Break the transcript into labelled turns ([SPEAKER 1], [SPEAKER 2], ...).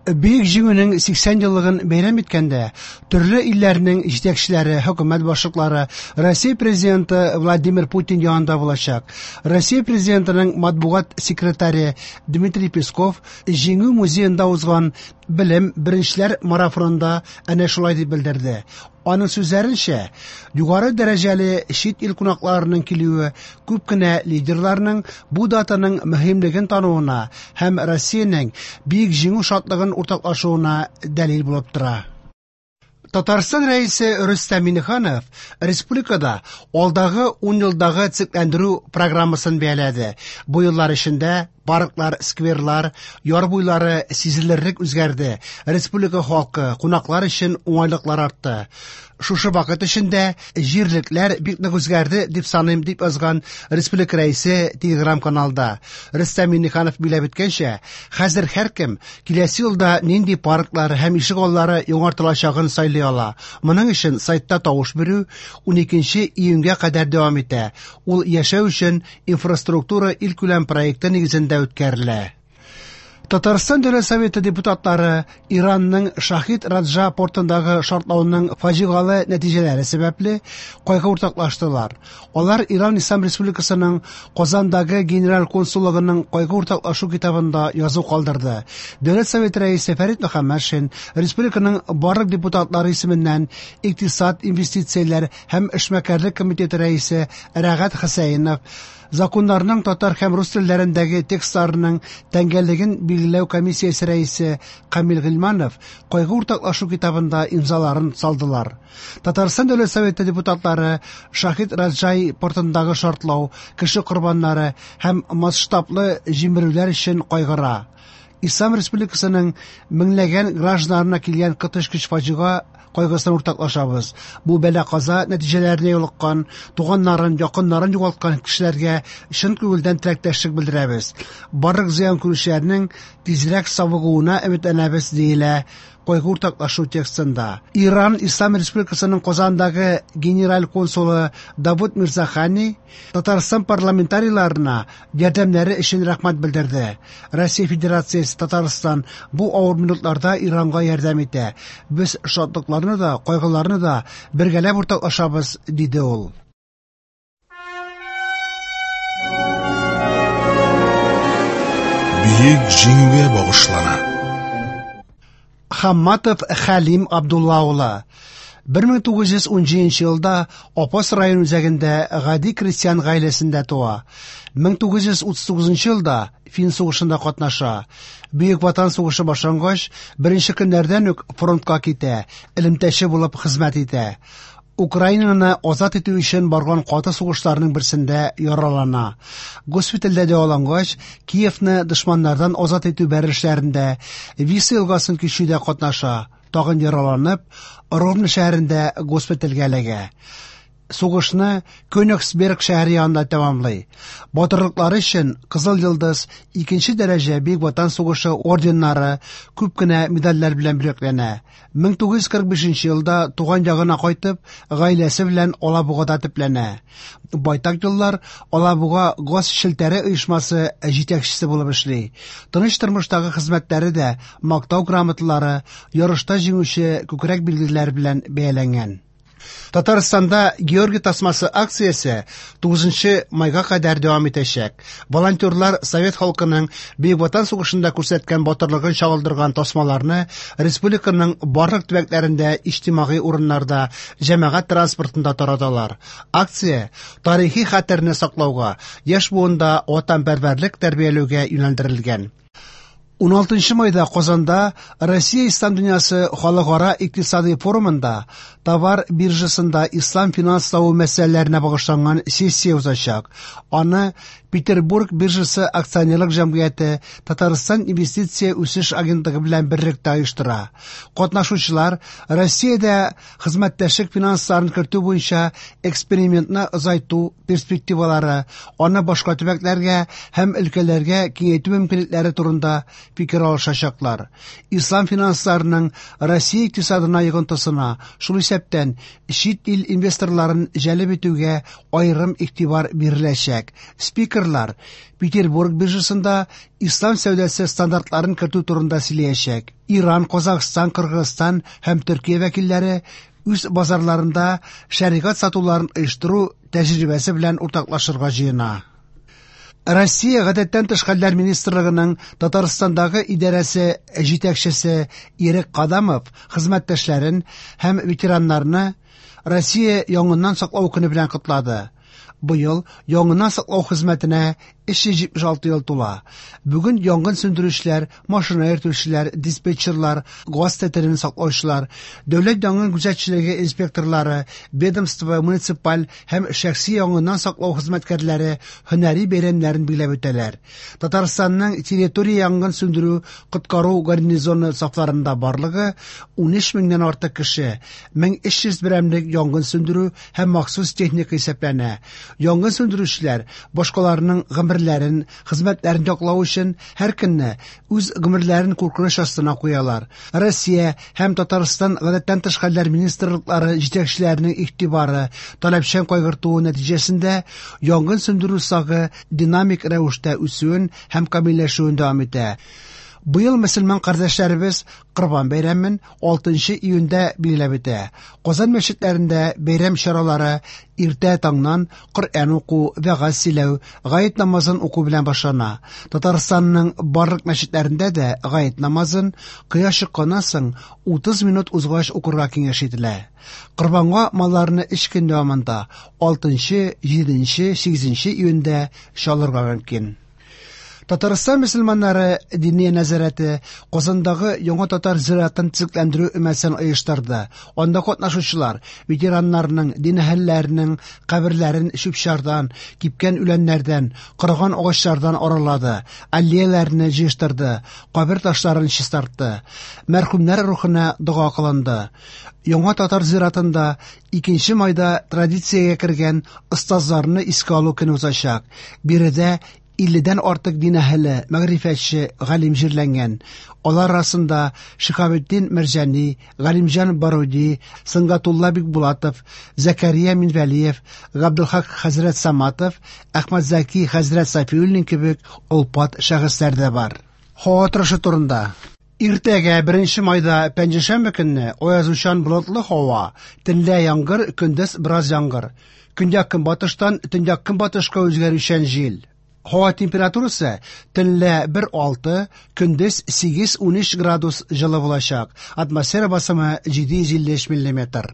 [SPEAKER 1] Бөек Җиңүнең 80 еллыгын бәйрәм иткәндә, төрле илләрнең җитәкчеләре, хөкүмәт башлыклары Россия Президенты Владимир Путин янында булачак. Россия Президентының матбугат секретаре Дмитрий Песков Җиңү музеенда узган Белем беренчеләр марафонында әнә шулай дип белдерде. Аның сүзләренчә, югары дәрәҗәле чит ил кунакларының килүе күп кенә лидерларның бу датаның мөһимлеген тануына һәм Россиянең Бөек Җиңү шатлыгын уртаклашуына дәлил булып тора. Татарстан Рәисе Рөстәм Миңнеханов республикада алдагы 10 елдагы төзекләндерү программасын бәяләде. Бу еллар эчендә парклар, скверлар, яр буйлары сизелерлек үзгәрде, республика халкы, кунаклар өчен уңайлыклар артты. Шушы вакыт эчендә җирлекләр бик нык үзгәрде, дип саныйм, дип язган республика Рәисе Телеграм-каналда. Рөстәм Миңнеханов билгеләп үткәнчә, хәзер һәркем киләсе елда нинди парклар һәм ишек аллары яңартылачагын сайлый ала. Моның өчен сайтта тавыш бирү 12 июньгә кадәр дәвам итә. Ул яшәү өчен инфраструктура илкүләм проекты нигезендә үткәрелә. Татарстан Дәүләт Советы депутатлары Иранның Шахид Раджа портындагы шартлауның фаҗигале нәтиҗәләре сәбәпле кайгы уртаклаштылар. Алар Иран Ислам Республикасының Казандагы генераль консуллыгының кайгы уртаклашу китабында язу калдырды. Дәүләт Советы рәисе Фәрит Мөхәммәтшин республиканың барлык депутатлары исеменнән икътисад, инвестицияләр һәм эшмәкәрлек комитеты рәисе Рәгать Хөсәенов, законнарның татар һәм рус телләрендәге текстларының тәңгәллеген билгеләү комиссиясе рәисе Камил Гыйльманов кайгы уртаклашу китабында имзаларын салдылар. Татарстан Дәүләт Советы депутатлары Шахид Раджай портындагы шартлау, кеше корбаннары һәм масштаблы җимерүләр өчен кайгыра. Ислам Республикасының меңләгән гражданнарына килгән коточкыч фаҗига кайгысын уртаклашабыз. Бу бәла-каза нәтиҗәләренә юлыккан, туганнарын, якыннарын югалткан кешеләргә чын күңелдән теләктәшлек белдерәбез. Барлык зыян күрүчеләрнең тизрәк савыгуына өметләнәбез, диелә кайгы уртаклашу текстында. Иран Ислам Республикасының Казандагы генераль консулы Давуд Мирзахани Татарстан парламентарийларына ярдәмнәре өчен рәхмәт белдерде. Россия Федерациясе Татарстан бу авыр минутларда Иранга ярдәм итә. Без шатлыкларны да, кайгыларны да бергәләп уртаклашабыз, диде ул.
[SPEAKER 2] Бөек Җиңүгә багышлана.
[SPEAKER 1] Хамматов Хәлим Абдулла улы 1917 елда Апас район үзәгендә гади крестьян гаиләсендә туа. 1939 елда Фин сугышында катнаша. Бөек Ватан сугышы башлангач, беренче көннәрдән үк фронтка китә, элемтәче булып хезмәт итә. Украинаны азат итү өчен барган каты сугышларның берсендә яралана. Госпитальдә дәвалангач, Киевны дошманнардан азат итү бәрелешләрендә, Висла елгасын кичүдә катнаша, тагын яраланып, Ровно шәһәрендә госпитальгә эләгә. Сугышны Кёнигсберг шәһәре янында тәмамлый. Батырлыклары өчен Кызыл Йолдыз, икенче дәрәҗә Бөек Ватан сугышы орденнары, күп кенә медальләр белән бүләкләнә. 1945 елда туган ягына кайтып, гаиләсе белән Алабугада төпләнә. Байтак еллар Алабуга газ челтәре оешмасы җитәкчесе булып эшли. Тыныч тормыштагы хезмәтләре дә мактау грамоталары, ярышта җиңүче күкрәк билгеләре белән бәяләнгән. Татарстанда Георгий тасмасы акциясе 9 майга кадәр дәвам итәчәк. Волонтерлар совет халкының Бөек Ватан сугышында күрсәткән батырлыгын чагылдырган тасмаларны республиканың барлык төбәкләрендә иҗтимагый урыннарда, җәмәгать транспортында тараталар. Акция тарихи хәтерне саклауга, яшь буында ватанпәрвәрлек тәрбияләүгә юнәлдерелгән. 16 майда Казанда Россия Ислам дөньясы халыкара икътисади форумында товар биржасында ислам финанславы мәсьәләләренә багышланган сессия узачак. Аны Петербург биржасы акционерлык җәмгыяте Татарстан инвестиция үсеш агентлыгы белән берлектә оештыра. Катнашучылар Россиядә хезмәттәшлек финансларын кертү буенча экспериментны озайту перспективалары, аны башка төбәкләргә һәм өлкәләргә киңәйтү мөмкинлекләре турында фикер алышачаклар. Ислам финансларының Россия икътисадына йогынтысына, шул исәптән чит ил инвесторларын җәлеп итүгә аерым игътибар биреләчәк. Спикерлар Петербург биржасында ислам сәүдәсе стандартларын кертү турында сөйләячәк. Иран, Казахстан, Кыргызстан һәм Төркия вәкилләре үз базарларында шәригать сатуларын оештыру тәҗрибәсе белән уртаклашырга җыена. Россия Гадәттән тыш хәлләр министрлыгының Татарстандагы идарәсе җитәкчесе Ирек Кадамов хезмәттәшләрен һәм ветераннарны Россия янгыннан саклау көне белән котлады. Быел янгыннан саклау хезмәтенә 376 ел тула. Бүген янгын сүндерүчеләр, машина йөртүчеләр, диспетчерлар, газ төтенен саклаучылар, дәүләт янгын күзәтчелеге инспекторлары, ведомство, муниципаль һәм шәхси янгыннан саклау хезмәткәрләре һөнәри бәйрәмнәрен билгеләп үтәләр. Татарстанның территория янгын сүндерү коткару гарнизоны сафларында барлыгы 13 меңнән артык кеше, 1300 берәмлек янгын сүндерү һәм махсус техника исәпләнә. Янгын сүндерүчеләр башкаларның гомерләрен, хезмәтләрен яклау өчен һәр көнне үз гомерләрен куркыныч астына куялар. Россия һәм Татарстан Гадәттән тыш хәлләр министрлыклары җитәкчеләренең игътибары, таләпчән кайгыртуы нәтиҗәсендә янгын сүндерү сагы динамик рәвештә үсүен һәм камилләшүен дәвам итә. Быел мөселман кардәшләребез Корбан бәйрәмен 6 июньдә билгеләп үтә. Казан мәчетләрендә бәйрәм чаралары иртә таңнан Коръән уку, вәгазь сөйләү, гает намазын уку белән башлана. Татарстанның барлык мәчетләрендә дә гает намазын кояш чыкканнан соң 30 минут узгач укырга киңәш ителә. Корбанга малларны 3 көн дәвамында 6, 7, 8 июньдә чалырга мөмкин. Татарстан мөселманнары Диния нәзарәте Казандагы яңа татар зиратын төзекләндерү өмәсен оештырды. Анда катнашучылар ветераннарның, дин әһелләренең каберләрен чүп-чардан, кипкән үләннәрдән, корыган агачлардан аралады, аллеяләрне җыештырды, кабер ташларын чистартты. Мәрхүмнәр рухына дога кылынды. Яңа татар зиратында 2 майда традициягә кергән остазларны искә алу көне узачак. Биредә 50-дән артык дин әһеле, мәгърифәтче, галим җирләнгән. Алар арасында Шиһабетдин Мәрҗани, Галимҗан Баруди, Сөнгатулла Бикбулатов, Зәкәрия Минвәлиев, Габделхак хәзрәт Саматов, Әхмәтзәки хәзрәт Сафиуллин кебек олпат шәхесләр дә бар. Һава торышы турында. Иртәгә 1 майда пәнҗешәмбе көнне аязучан болытлы һава, төнлә яңгыр, көндез бераз яңгыр. Көньяк-көнбатыштан төньяк-көнбатышка үзгәрүчән җил. Һава температурасы төнлә 1-6, көндез 8-13 градус җылы булачак. Атмосфера басымы 753 миллиметр.